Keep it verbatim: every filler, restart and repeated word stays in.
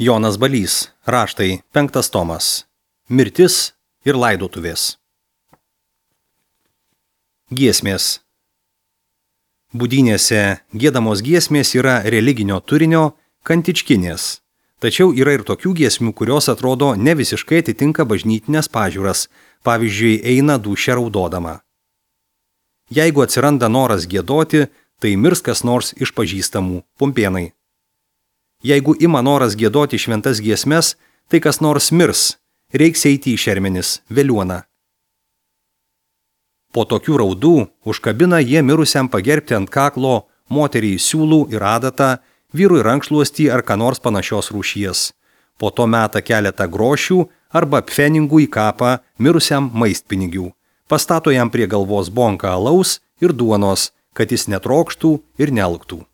Jonas Balys, raštai, penktas tomas. Mirtis ir laidotuvės. Giesmės. Budynėse giedamos giesmės yra religinio turinio kantičkinės, tačiau yra ir tokių giesmių, kurios atrodo ne visiškai atitinka bažnytinės pažiūras, pavyzdžiui, eina dūšia raudodama. Jeigu atsiranda noras giedoti, tai mirs kas nors iš pažįstamų pumpėnai. Jeigu ima noras giedoti šventas giesmes, tai kas nors mirs, reiks eiti į šermenis, veliuoną. Po tokių raudų užkabina jie mirusiam pagerbti ant kaklo, moteriai siūlų ir adatą, vyrui rankšluostį ar ką nors panašios rūšies. Po to meta keletą grošių arba pfeningų į kapą mirusiam maistpinigių. Pastato jam prie galvos bonką alaus ir duonos, kad jis netrokštų ir nealktų.